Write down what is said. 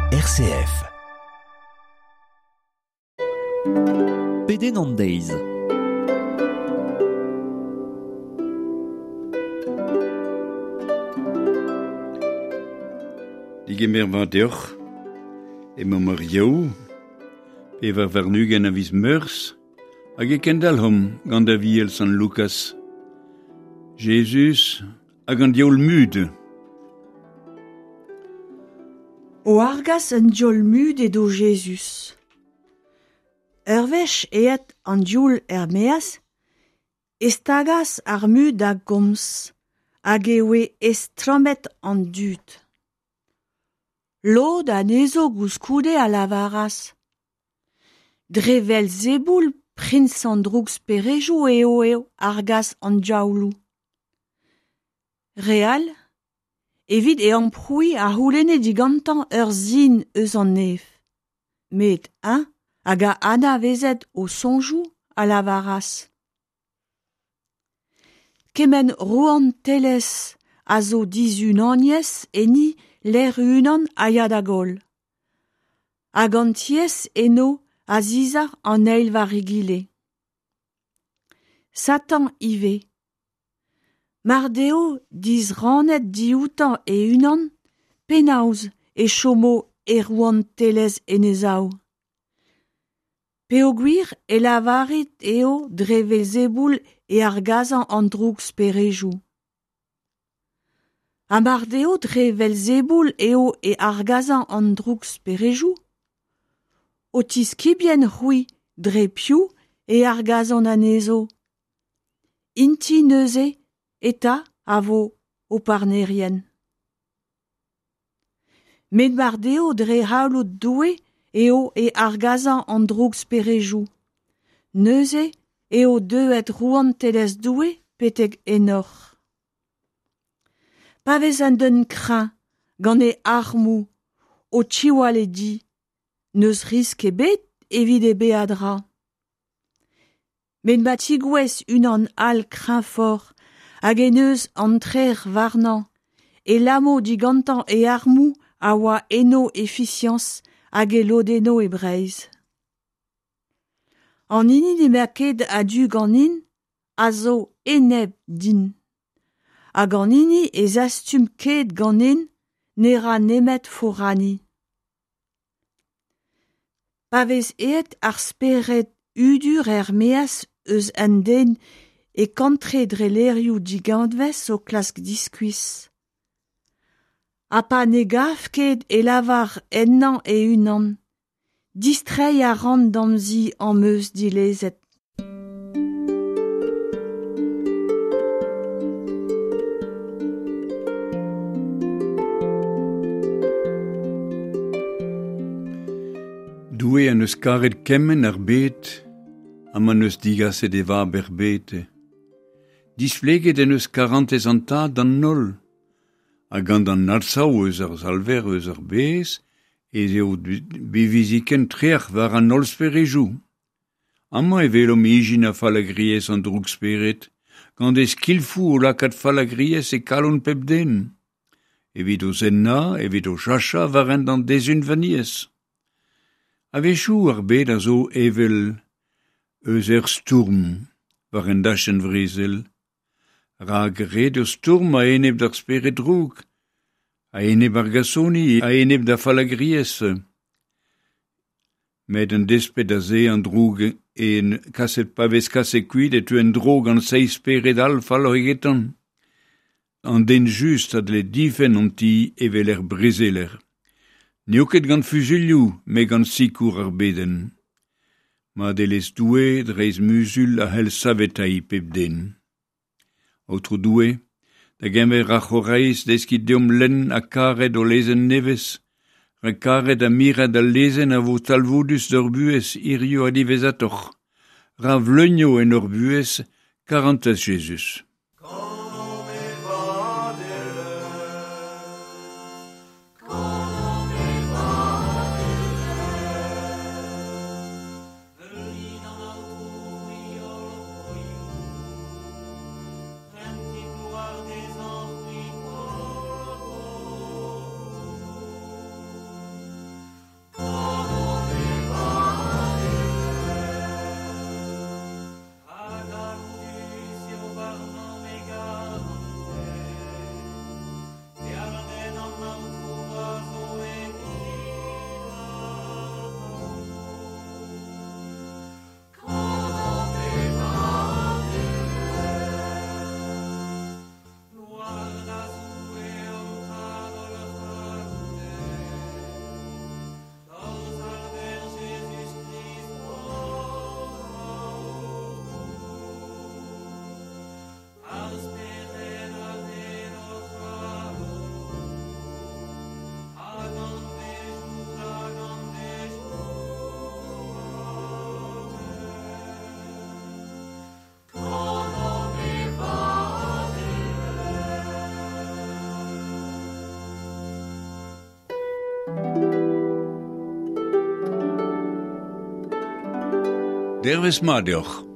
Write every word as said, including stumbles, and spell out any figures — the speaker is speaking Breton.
R C F. Pedenn an deiz. Digemer war deoc'h, emañ ar Yaou, pevar warn-ugent a viz Meurzh, hag e kendalc'homp gant Aviel Sant Lukas. Jezuz hag an diaoul mud. O argas an diaoul mud edo Jezuz. Ur wech aet an diaoul er-maez, e stagas ar mud da gomz, hag e oe estlammet an dud. Lod anezho koulskoude a lavaras. Dre Velzeboul, priñs an drougsperejoù eo eo argas an diaouloù. Re all, evit e amprouiñ a c'houlenne digantañ ur sin eus an neñv. Met eñ hag a anavezet o soñjoù a lavaras. Kement rouantelezh a zo dizunaniezh enni lec'h unan a ya da goll. Hag an tiez eno a zizar an eil war egile. Satan ivez. Mar deo disrannet dioutañ e-unan, penaos e chomo e rouantelezh en e sav. Peogwir e lavarit eo dre Velzeboul e argasañ an drougsperejoù. Ha mar deo dre Velzeboul eo e argasañ an drougsperejoù, ho tiskibien c'hwi dre piv e argasont anezho. Int-i neuze eta a vo ho parnerien. Met mar deo dre c'halloud Doue eo e argasañ an drougsperejoù. Neuze eo deuet rouantelezh Doue betek ennoc'h. Pa vez un den kreñv gant e armoù o tiwall e di, n'eus riskl ebet evit e beadra. Met ma tigouez unan all kreñvoc'h hag en deus an trec'h warnañ, e lamo digantañ e armoù a oa enno e fiziañs hag e lodenno e Breizh. An hini n'emañ ket a-du ganin a zo enep din. Hag an hini e zastum ket ganin ne ra nemet foraniñ. Pa vez aet ar spered hudur er-maez eus an den e kantre dre lec'hioù diganvez o klask diskuizh. Ha pa ne gav ket e lavar ennañ e-unan, distreiñ a ran d'am zi am eus dilezet. Doue an eus karet kement ar bed, ha ma n'eus digaset e vab er bed. Displeget en eus karantez an tad d'an holl. Hag gant an arsav eus ar salver eus ar bez, ez eo beviziken trec'h war an holl sperejou. Amañ e welomp ijin a fallagriezh an drougspered, gant e skilfoù o lakaat fallagriezh e kalon pep den. Evit o zennañ, evit o chachañ war hent an dezunvaniezh. A-wechoù ar bed a zo evel eus ur stourm war un dachenn vrezel. Rak ret eo stourm a-enep d'ar spered droug, a-enep ar gasoni, a-enep da fallagriezh. Met un desped a se an droug en kaset pa vez kaset kuit e teu en-dro gant seizh spered all falloc'h egetan. An den just a dle difenn an ti evel er brezeler. N'eo ket gant fuzuilhoù, met gant sikour ar bedenn. Madelezh Doue dreist muzul a c'hell saveteiñ pep den. Aotrou Doue, da geñver ar c'horaiz deskit deomp lenn ha karet o lezenn nevez, rak karet ha miret al lezenn a vo talvoudus d'hor buhez hiziv ha diwezhatoc'h. Ra vleunio en hor buhez karantez Jezuz. Dervezh mat deoc'h.